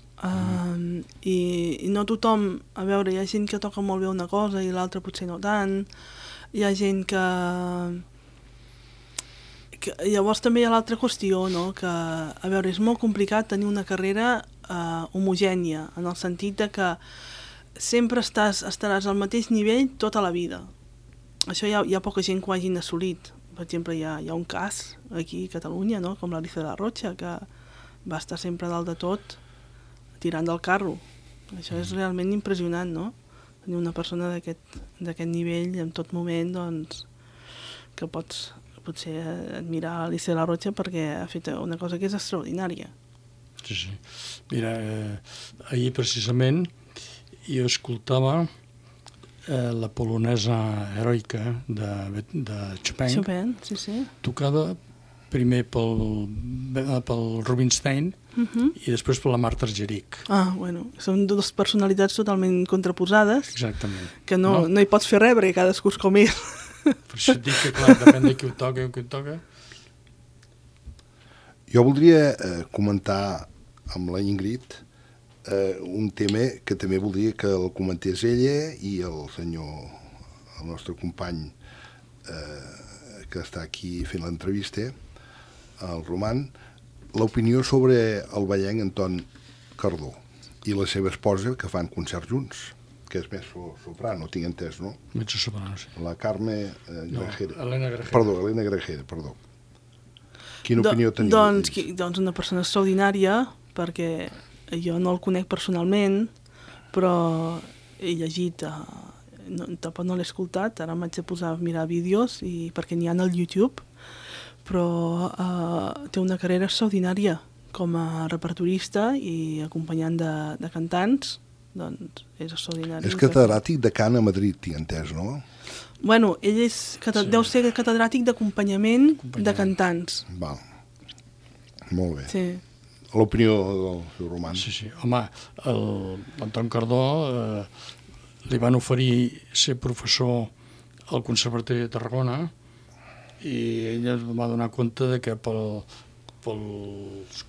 D: I no tothom, a veure, hi ha gent que toca molt bé una cosa i l'altra potser no tant, hi ha gent que llavors també hi ha l'altra qüestió, no? Que, a veure, és molt complicat tenir una carrera homogènia, en el sentit de que sempre estaràs al mateix nivell tota la vida. Això hi ha poca gent que ho hagin assolit. Per exemple, hi ha un cas aquí a Catalunya, no? Com l'Alicia de la Rocha, que va estar sempre dalt de tot tirant del carro. Això és realment impressionant, no? Tenir una persona d'aquest nivell en tot moment, doncs, que pots potser admirar Alicia de la Rocha perquè ha fet una cosa que és extraordinària.
C: Sí. Mira, ahir precisament jo escoltava la polonesa heroica de Chopin, tocada primer pel Rubinstein i després per la Marta Argerich.
D: Bueno, són dues personalitats totalment contraposades.
C: Exactament.
D: Que no hi pots fer res perquè cadascú és com és.
C: Per això et dic que, clar, depèn de qui ho toca.
B: Jo voldria comentar amb la Ingrid un tema que també voldria que el comentés ella i el nostre company que està aquí fent l'entrevista, el Roman, l'opinió sobre el ballenc Anton Cardó i la seva esposa, que fan concerts junts, que és més soprano, tinc entès, no?
C: Mezzo soprano, sí.
B: La Carme Grajera.
C: Elena Grajera.
B: Perdó, Elena Grajera, perdó. Quina opinió teniu?
D: Doncs una persona extraordinària, perquè jo no el conec personalment, però he llegit, tampoc no l'he escoltat, ara m'haig de posar a mirar vídeos perquè n'hi ha al YouTube, però té una carrera extraordinària com a repertorista i acompanyant de cantants, doncs és extraordinari.
B: És catedràtic de cant a Madrid, tinc entès, no?
D: Bueno, ell deu ser catedràtic d'acompanyament de cantants.
B: Val. Molt bé.
D: Sí.
B: L'opinió del seu Roman.
C: Sí. Home, l'Anton Cardó li van oferir ser professor al Conservatori de Tarragona i ell es va donar compte de que pels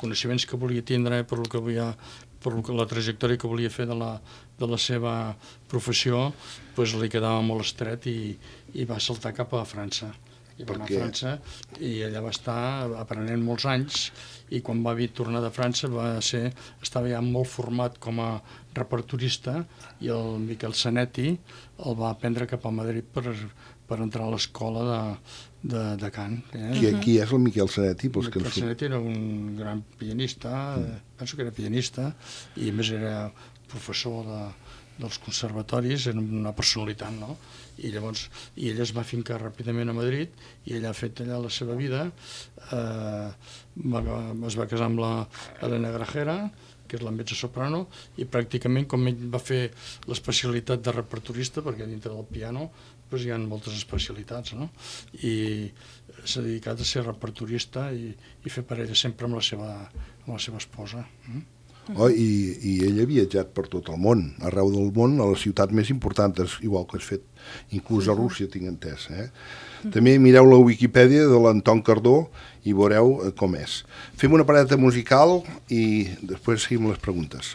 C: coneixements que volia tindre, per la trajectòria que volia fer de la seva professió, doncs li quedava molt estret i va saltar cap a França. I va anar a França i allà va estar aprenent molts anys i quan va tornar de França estava ja molt format com a repertorista i el Miquel Zanetti el va prendre cap a Madrid per entrar a l'escola de cant.
B: Qui és el Miquel Zanetti?
C: El Miquel Zanetti era un gran pianista, penso que era pianista i a més era professor dels conservatoris, era una personalitat, no? I llavors ell es va fincar ràpidament a Madrid i ell ha fet allà la seva vida, es va casar amb la Elena Grajera, que és la mezzo-soprano, i pràcticament com ell va fer l'especialitat de repertorista, perquè dintre del piano doncs hi ha moltes especialitats, no? I s'ha dedicat a ser repertorista i fer parella sempre amb la seva esposa.
B: I ell ha viatjat per tot el món, arreu del món, a les ciutats més importants, igual que has fet inclús a Rússia, tinc entès. També mireu la Wikipedia de l'Anton Cardó i veureu com és. Fem una paradeta musical i després seguim les preguntes.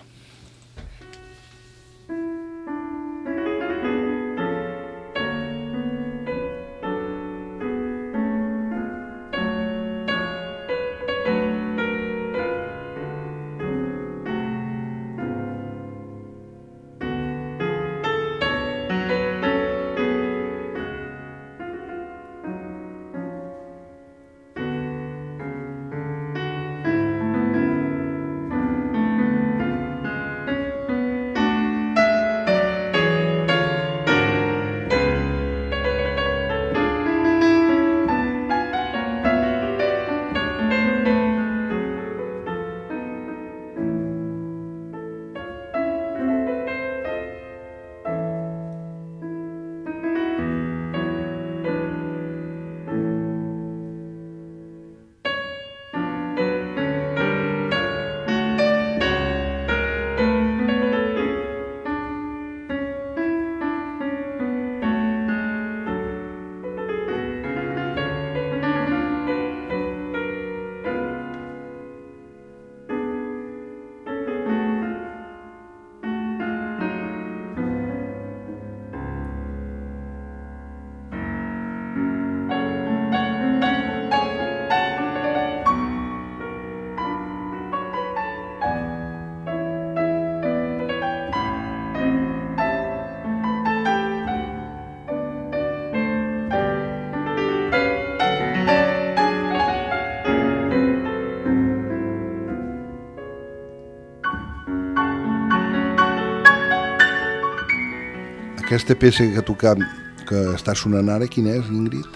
B: Aquesta peça que tocam, que està sonant ara, quina és, Ingrid?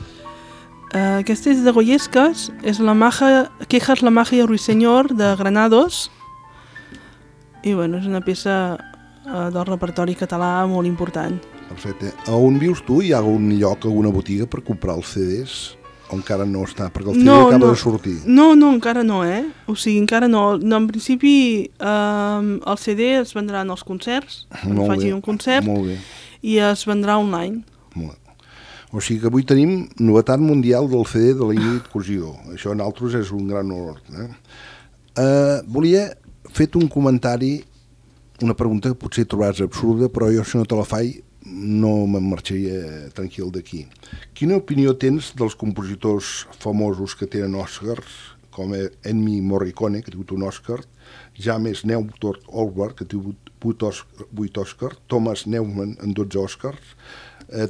D: Aquesta és de Goyescas, és Quejas la magia ruiseñor de Granados, i bueno, és una peça del repertori català molt important.
B: Perfecte. A on vius tu? Hi ha algun lloc, alguna botiga per comprar els CDs? O encara no està? Perquè el CD acaba de sortir.
D: No, encara no, O sigui, encara no. En principi, el CD es vendrà en els concerts, quan faci un concert, i es vendrà online.
B: Molt bé. O sigui que avui tenim novetat mundial del CD de la Ingrid Cosidó. Això en altres és un gran honor. Volia fer un comentari, una pregunta que potser trobaràs absurda, però jo si no te la faig no me'n marxaria tranquil d'aquí. Quina opinió tens dels compositors famosos que tenen Oscars, com Ennio Morricone, que ha tingut un Oscar, James Newton Howard, que ha tingut 8 Oscars, Thomas Newman en 12 Oscars?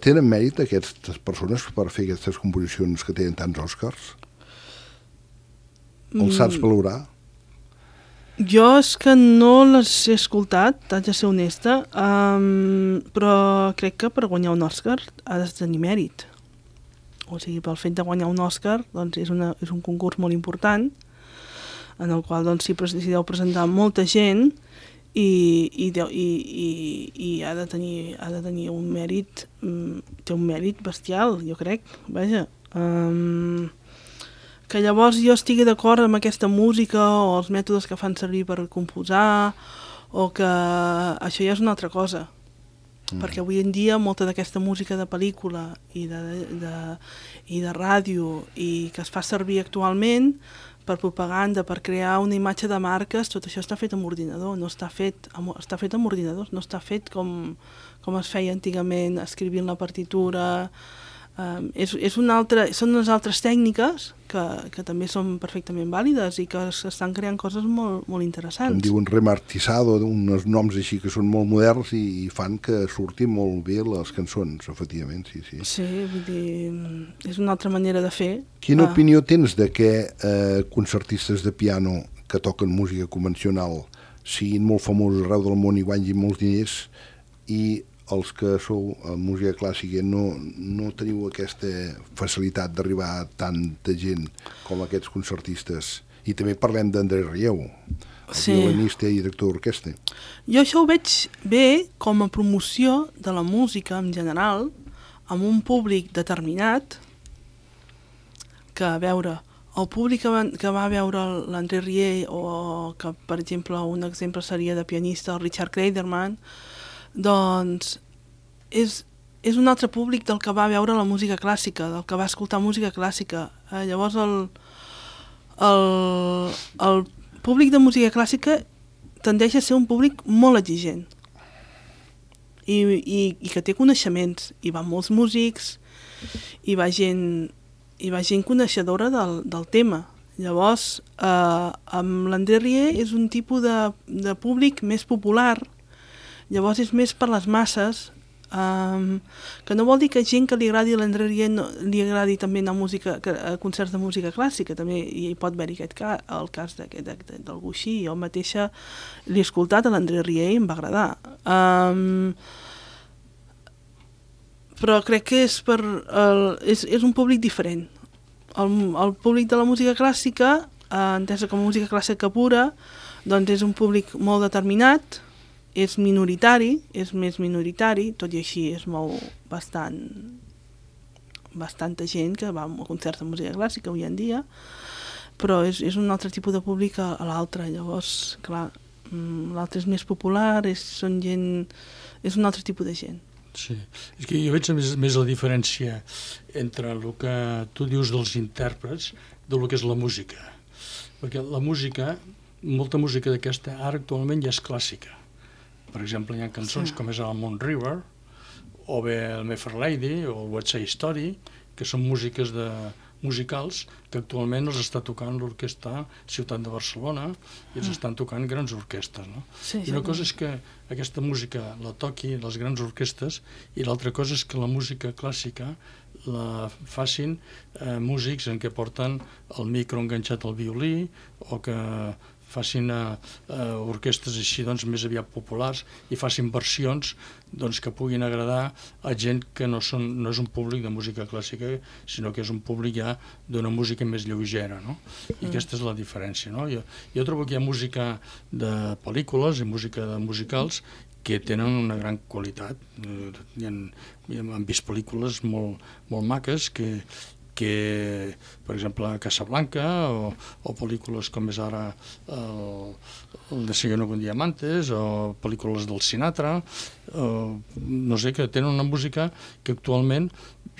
B: Tenen mèrit aquestes persones per fer aquestes composicions que tenen tants Oscars? Els saps valorar?
D: Jo és que no les he escoltat, haig de ser honesta, però crec que per guanyar un Òscar ha de tenir mèrit. O sigui, pel fet de guanyar un Òscar doncs és un concurs molt important en el qual doncs, s'hi deu presentar molta gent i ha de tenir un mèrit, té un mèrit bestial, jo crec, vaja. Que llavors jo estigui d'acord amb aquesta música o els mètodes que fan servir per composar, o que això ja és una altra cosa. Perquè avui en dia molta d'aquesta música de pel·lícula i de ràdio i que es fa servir actualment per propaganda, per crear una imatge de marques, tot això està fet amb ordinador, està fet amb ordinadors, no està fet com es feia antigament, escrivint la partitura. Són unes altres tècniques que també són perfectament vàlides i que s'estan creant coses molt, molt interessants.
B: Com diuen remartisado, uns noms així que són molt moderns i fan que surtin molt bé les cançons, efectivament, sí.
D: Sí, vull dir, és una altra manera de fer.
B: Quina opinió tens de que concertistes de piano que toquen música convencional siguin molt famosos arreu del món i guanyin molts diners i els que sou a música clàssica no teniu aquesta facilitat d'arribar a tanta gent com aquests concertistes? I també parlem d'André Rieu, el violinista i director d'orquestra.
D: Jo això ho veig bé com a promoció de la música en general amb un públic determinat que, a veure, el públic que va veure l'André Rieu, o que, per exemple, un exemple seria de pianista, el Richard Kleiderman, doncs és un altre públic del que va veure la música clàssica, del que va escoltar música clàssica. Llavors el públic de música clàssica tendeix a ser un públic molt exigent i que té coneixements, i van molts músics, i va gent coneixedora del tema. Llavors, amb l'André Rieu és un tipus de públic més popular, llavors és més per les masses, que no vol dir que gent que li agradi l'André Rieu li agradi també anar a concerts de música clàssica, també hi pot haver el cas d'algú així. Jo mateixa l'he escoltat a l'André Rieu i em va agradar. Però crec que és un públic diferent. El públic de la música clàssica, entesa com a música clàssica pura, doncs és un públic molt determinat, és minoritari, és més minoritari, tot i així es mou bastanta gent que va a concerts de música clàssica avui en dia, però és un altre tipus de públic a l'altre. Llavors, clar, l'altre és més popular, és un altre tipus de gent.
C: Sí, és que jo veig més la diferència entre el que tu dius dels intèrprets del que és la música. Perquè la música, molta música d'aquesta ara actualment ja és clàssica. Per exemple, hi ha cançons com és el Moon River, o bé el My Fair Lady, o el What's Side Story, que són músiques musicals que actualment els està tocant l'orquestra Ciutat de Barcelona i els estan tocant grans orquestres, no? I una cosa és que aquesta música la toqui les grans orquestres i l'altra cosa és que la música clàssica la facin músics en què porten el micro enganxat al violí o que facin orquestres així doncs, més aviat populars i facin versions doncs, que puguin agradar a gent que no és un públic de música clàssica, sinó que és un públic ja d'una música més lleugera, no? I aquesta és la diferència, no? Jo trobo que hi ha música de pel·lícules i música de musicals que tenen una gran qualitat. Hem vist pel·lícules molt maques que, per exemple, Casablanca o pel·lícules com és ara el Desayuno con Diamantes o pel·lícules del Sinatra, no sé, que tenen una música que actualment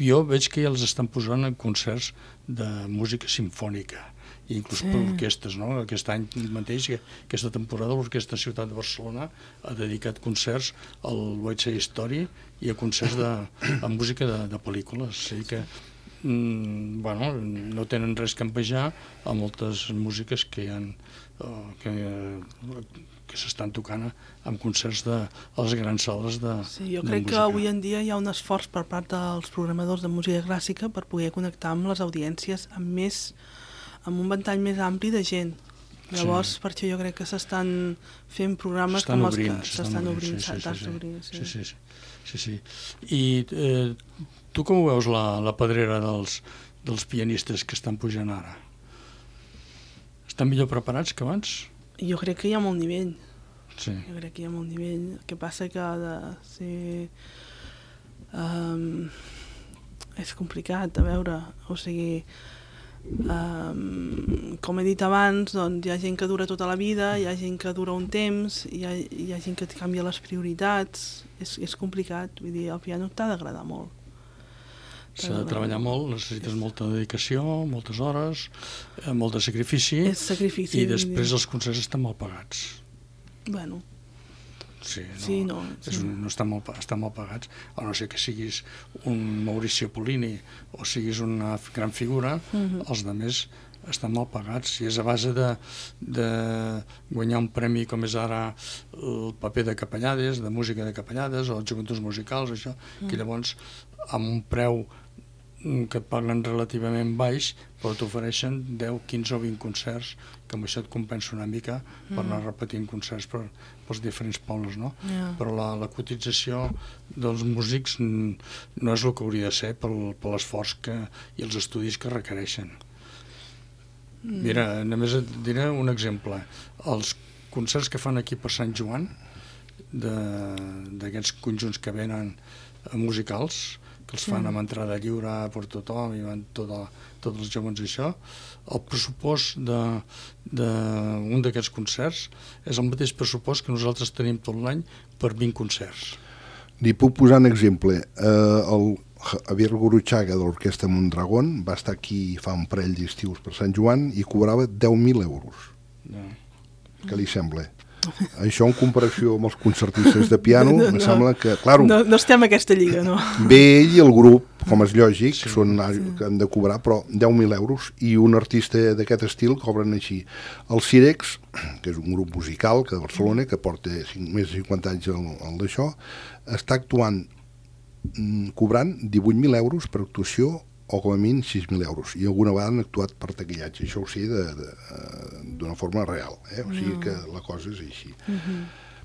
C: jo veig que ja els estan posant en concerts de música simfònica i inclús per orquestes, no? Aquest any mateix, aquesta temporada, l'Orquestra Ciutat de Barcelona ha dedicat concerts al What's Side Story i a concerts amb música de pel·lícules. O sigui que no tenen res que envejar a moltes músiques que hi ha que s'estan tocant en concerts a les grans sales de música.
D: Jo crec que avui en dia hi ha un esforç per part dels programadors de música clàssica per poder connectar amb les audiències amb un ventall més ampli de gent. Llavors, per això jo crec que s'estan fent programes com els que s'estan obrint.
C: Sí. I tu com ho veus, la pedrera dels pianistes que estan pujant ara? Estan millor preparats que abans?
D: Jo crec que hi ha molt nivell.
C: Sí.
D: Jo crec que hi ha molt nivell. El que passa que ha de ser... és complicat, a veure, o sigui... com he dit abans, doncs hi ha gent que dura tota la vida, hi ha gent que dura un temps, hi ha gent que canvia les prioritats, és complicat, vull dir, el piano t'ha d'agradar molt.
C: S'ha de treballar molt, necessites molta dedicació, moltes hores, molt de sacrifici, i després els concerts estan mal pagats.
D: Bueno,
C: no estan mal pagats, a no ser que siguis un Mauricio Pollini o siguis una gran figura, els altres estan mal pagats, i és a base de guanyar un premi com és ara el paper de Capellades, de música de Capellades o els joventuts musicals, això, que llavors amb un preu que et paguen relativament baix, però t'ofereixen 10, 15 o 20 concerts, que amb això et compensa una mica per anar repetint concerts pels diferents pobles, no? Però la cotització dels músics no és el que hauria de ser per l'esforç i els estudis que requereixen. Mira, només et diré un exemple. Els concerts que fan aquí per Sant Joan, d'aquests conjunts que venen musicals, que els fan amb entrada lliure per tothom i van tots els gegants i això, el pressupost d'un d'aquests concerts és el mateix pressupost que nosaltres tenim tot l'any per 20 concerts.
B: Li puc posar un exemple. El Javier Gurruchaga de l'Orquestra Mondragón va estar aquí fa un parell d'estius per Sant Joan i cobrava 10.000 euros. Què li sembla? Això en comparació amb els concertistes de piano, em sembla que... Claro,
D: no estem a aquesta lliga, no.
B: Ve ell i el grup, com és lògic, que han de cobrar, però 10.000 euros, i un artista d'aquest estil cobren així. El Cirex, que és un grup musical que de Barcelona, que porta més de 50 anys al d'això, està actuant cobrant 18.000 euros per actuació o com a mínim 6.000 euros, i alguna vegada han actuat per taquillatge. Això ho sé d'una forma real, o sigui que la cosa és així.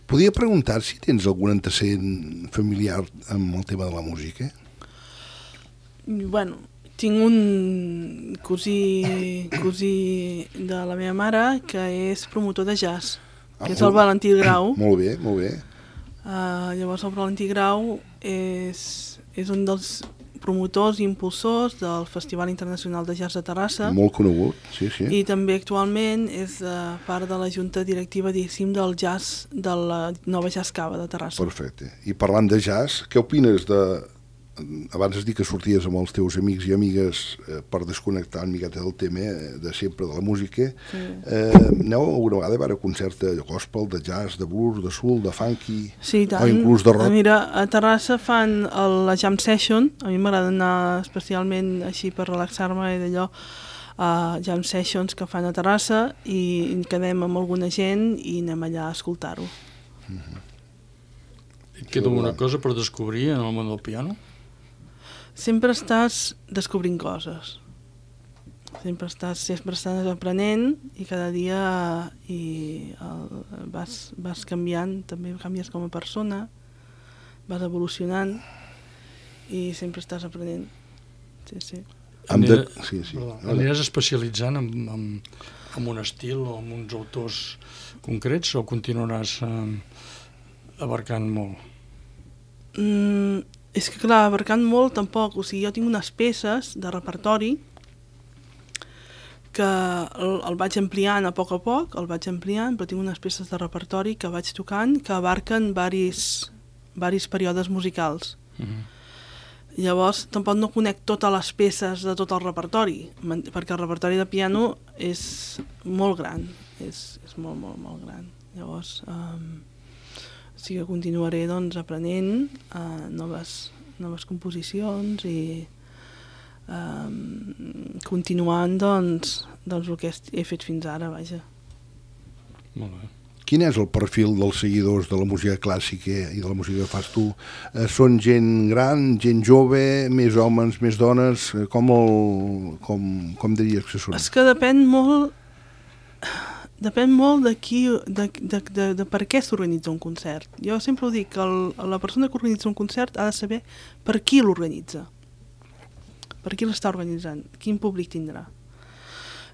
B: Podria preguntar si tens algun antecedent familiar amb el tema de la música?
D: Bueno, tinc un cosí de la meva mare que és promotor de jazz, que és el Valentí Grau.
B: Molt bé, molt bé.
D: Llavors el Valentí Grau és un dels promotors i impulsors del Festival Internacional de Jazz de Terrassa.
B: Molt conegut, sí.
D: I també actualment és part de la junta directiva, diguéssim, del jazz, de la nova Jazz Cava de Terrassa.
B: Perfecte. I parlant de jazz, què opines de... Abans has dit que sorties amb els teus amics i amigues per desconnectar una miqueta del tema de sempre, de la música. Sí. Aneu alguna vegada a veure concerts de gospel, de jazz, de blues, de soul, de funky,
D: sí, tant.
B: O inclús de rock?
D: Mira, a Terrassa fan la jam session, a mi m'agrada anar especialment així per relaxar-me i d'allò, jam sessions que fan a Terrassa, i quedem amb alguna gent i anem allà a escoltar-ho.
C: Et queda alguna cosa per descobrir en el món del piano?
D: Sempre estàs descobrint coses, sempre estàs aprenent, i cada dia vas canviant, també canvies com a persona, vas evolucionant i sempre estàs aprenent. Sí.
C: Aniràs especialitzant en un estil o en uns autors concrets o continuaràs abarcant molt?
D: És que clar, abarcant molt tampoc, o sigui, jo tinc unes peces de repertori que el vaig ampliant a poc, el vaig ampliant, però tinc unes peces de repertori que vaig tocant que abarquen varis períodes musicals. Llavors, tampoc no conec totes les peces de tot el repertori, perquè el repertori de piano és molt gran, és molt gran. Llavors... sí que continuaré aprenent noves composicions i continuant el que he fet fins ara, vaja.
C: Molt bé.
B: Quin és el perfil dels seguidors de la música clàssica i de la música que fas tu? Són gent gran, gent jove, més homes, més dones? Com diries que són?
D: És que depèn molt de per què s'organitza un concert. Jo sempre ho dic, que la persona que organitza un concert ha de saber per qui l'organitza, per qui l'està organitzant, quin públic tindrà.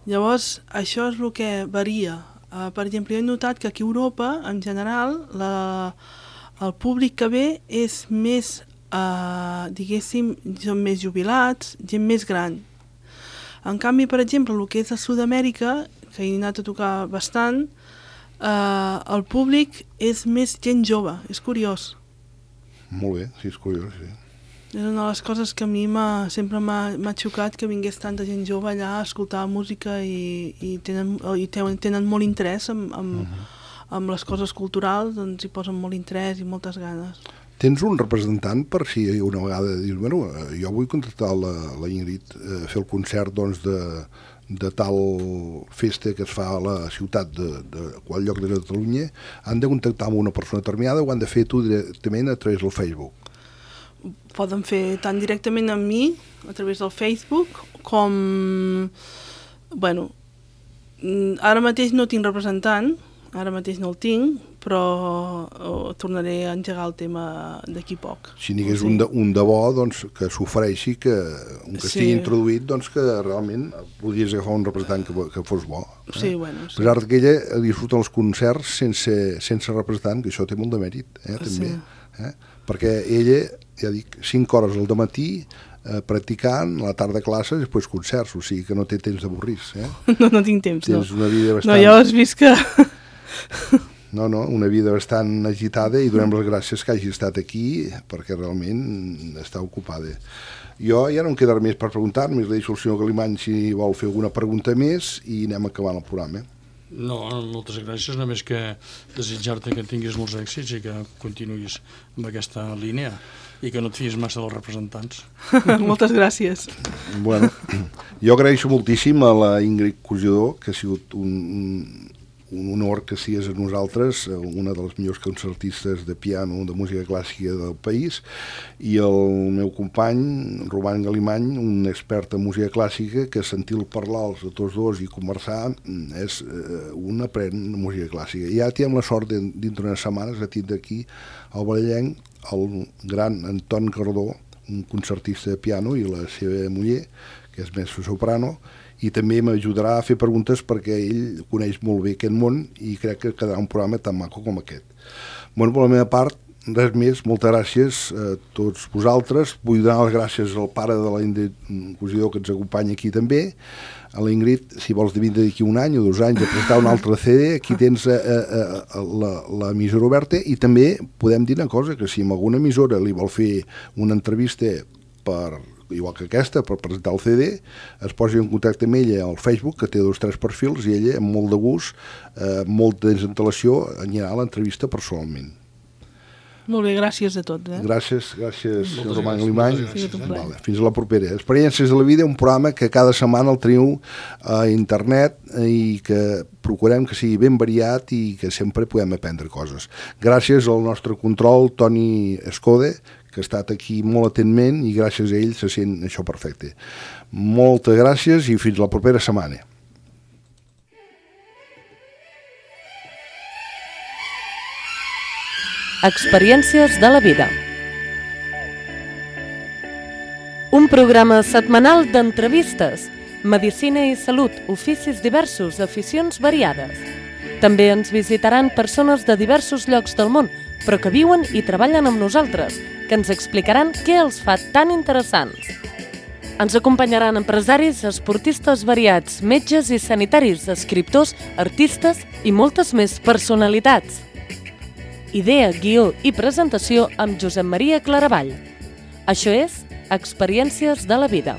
D: Llavors, això és el que varia. Per exemple, jo he notat que aquí a Europa, en general, el públic que ve és més, diguéssim, són més jubilats, gent més gran. En canvi, per exemple, el que és a Sud-amèrica, que he anat a tocar bastant, el públic és més gent jove, és curiós.
B: Molt bé, sí, és curiós, sí.
D: És una de les coses que a mi sempre m'ha xocat, que vingués tanta gent jove allà a escoltar música i tenen molt interès amb les coses culturals, doncs hi posen molt interès i moltes ganes.
B: Tens un representant per si una vegada dius, bueno, jo vull contractar la Ingrid a fer el concert de tal festa que es fa a la ciutat de qual lloc de Catalunya, han de contactar amb una persona determinada o han de fer tu directament a través del Facebook?
D: Poden fer tant directament amb mi, a través del Facebook, com... Bueno, ara mateix no tinc representant, ara mateix no el tinc, però tornaré a engegar el tema d'aquí poc.
B: Si n'hi hagués un de bo, doncs, que s'ofereixi, que estigui introduït, doncs que realment podries agafar un representant que fos bo.
D: Sí, bueno.
B: Sí. Però que ella disfruta els concerts sense representant, que això té molt de mèrit, també. Perquè ella ja dic, 5 hores al dematí practicant, a la tarda classes i després concerts, o sigui que no té temps d'avorrir-se.
D: No tinc temps,
B: Tens una vida bastant...
D: No, ja ho has vist que...
B: No, una vida bastant agitada i donem les gràcies que hagi estat aquí perquè realment està ocupada. Jo ja no em queda més per preguntar, només li deixo al senyor Galimany si vol fer alguna pregunta més i anem acabant el programa.
C: No, moltes gràcies, només que desitjar-te que tinguis molts èxits i que continuïs amb aquesta línia i que no et fies massa dels representants.
D: Moltes gràcies.
B: Bueno, jo agraeixo moltíssim a la Ingrid Cosidor, que ha sigut un honor que sigués a nosaltres, una de les millors concertistes de piano de música clàssica del país, i el meu company, Roman Galimany, un expert en música clàssica, que sentir-lo parlar a tots dos i conversar és un aprèn de música clàssica. I ja tenim la sort dintre unes setmanes de tindre aquí al Vallenc el gran Anton Cardó, un concertista de piano, i la seva muller, que és més soprano, i també m'ajudarà a fer preguntes perquè ell coneix molt bé aquest món i crec que quedarà un programa tan maco com aquest. Bueno, per la meva part, res més, moltes gràcies a tots vosaltres. Vull donar les gràcies al pare de la Ingrid Cosidor que ens acompanya aquí també. A la Ingrid, si vols vindre d'aquí un any o 2 anys a presentar un altre CD, aquí tens l'emissora oberta, i també podem dir una cosa, que si en alguna emissora li vol fer una entrevista igual que aquesta, per presentar el CD, es posi en contacte amb ella al Facebook, que té 2 o 3 perfils, i ella, amb molt de gust, molt de desantelació, anirà a l'entrevista personalment.
D: Molt bé, gràcies a tots.
B: Gràcies, senyor Roman Galimany. Vale, fins a la propera. Experiències de la vida, un programa que cada setmana el teniu a internet i que procurem que sigui ben variat i que sempre podem aprendre coses. Gràcies al nostre control, Toni Escode, que ha estat aquí molt atentment, i gràcies a ell se sent això perfecte. Moltes gràcies i fins la propera setmana.
A: Experiències de la vida. Un programa setmanal d'entrevistes, medicina i salut, oficis diversos, aficions variades. També ens visitaran persones de diversos llocs del món, però que viuen i treballen amb nosaltres, que ens explicaran què els fa tan interessants. Ens acompanyaran empresaris, esportistes variats, metges i sanitaris, escriptors, artistes i moltes més personalitats. Idea, guió i presentació amb Josep Maria Claravall. Això és Experiències de la vida.